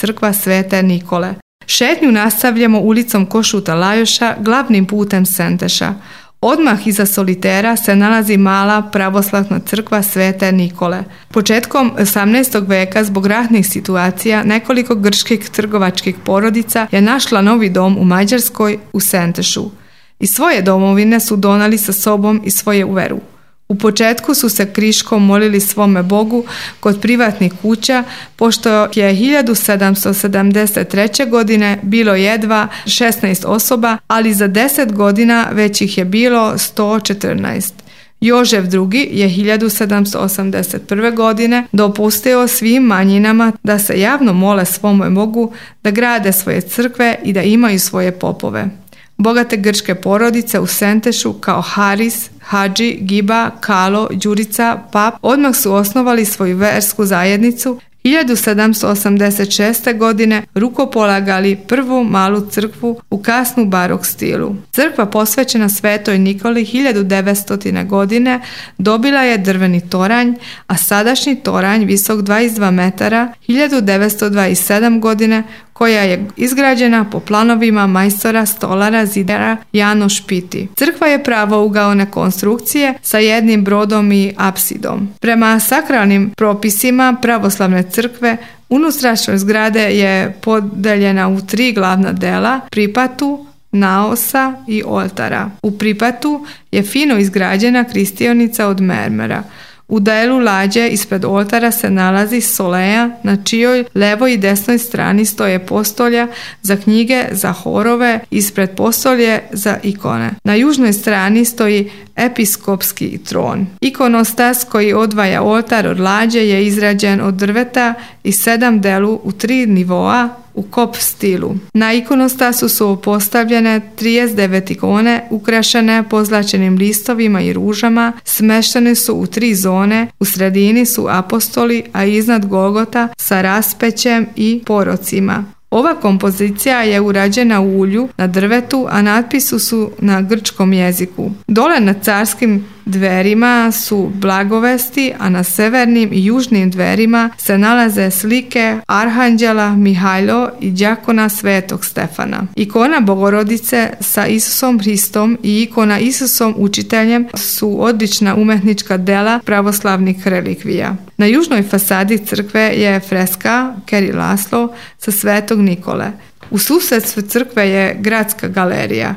crkva Svete Nikole. Šetnju nastavljamo ulicom Košuta Lajoša, glavnim putem Senteša. Odmah iza solitera se nalazi mala pravoslavna crkva Svete Nikole. Početkom 18. veka zbog ratnih situacija nekoliko grčkih trgovačkih porodica je našla novi dom u Mađarskoj u Sentešu. Iz svoje domovine su donali sa sobom i svoje veru. U početku su se kriškom molili svome Bogu kod privatnih kuća, pošto je 1773. godine bilo jedva 16 osoba, ali za 10 godina već ih je bilo 114. Jožef II. Je 1781. godine dopustio svim manjinama da se javno mole svome Bogu, da grade svoje crkve i da imaju svoje popove. Bogate grčke porodice u Sentešu kao Haris, Hadži, Giba, Kalo, Đurica, Pap odmah su osnovali svoju versku zajednicu. 1786. godine rukopolagali prvu malu crkvu u kasnu barok stilu. Crkva posvećena Svetoj Nikoli 1900. godine dobila je drveni toranj, a sadašnji toranj visok 22 metara 1927. godine koja je izgrađena po planovima majstora stolara zidara Janoš Piti. Crkva je pravougaone konstrukcije sa jednim brodom i apsidom. Prema sakralnim propisima pravoslavne crkve unutrašnjost zgrade je podeljena u 3 glavna dela: pripatu, naosa i oltara. U pripatu je fino izgrađena kristionica od mermera. U delu lađe ispred oltara se nalazi soleja, na čijoj levoj i desnoj strani stoje postolja za knjige, za horove, ispred postolje za ikone. Na južnoj strani stoji episkopski tron. Ikonostas koji odvaja oltar od lađe je izrađen od drveta i 7 delu u 3 nivoa u kop stilu. Na ikonostasu su postavljene 39 ikone ukrašene pozlačenim listovima i ružama, smeštene su u 3 zone, u sredini su apostoli, a iznad Golgota sa raspećem i porocima. Ova kompozicija je urađena u ulju na drvetu, a natpisi su na grčkom jeziku. Dole na carskim dverima su blagovesti, a na severnim i južnim dverima se nalaze slike Arhanđela Mihajlo i đakona Svetog Stefana. Ikona Bogorodice sa Isusom Hristom i ikona Isusom Učiteljem su odlična umetnička dela pravoslavnih relikvija. Na južnoj fasadi crkve je freska Keri Laslo sa Svetog Nikole. U susedstvu crkve je gradska galerija.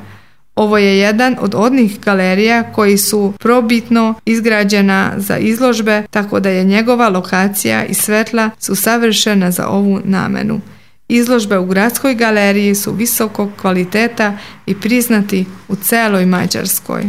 Ovo je jedan od onih galerija koji su probitno izgrađena za izložbe, tako da je njegova lokacija i svetla su savršena za ovu namenu. Izložbe u gradskoj galeriji su visokog kvaliteta i priznati u celoj Mađarskoj.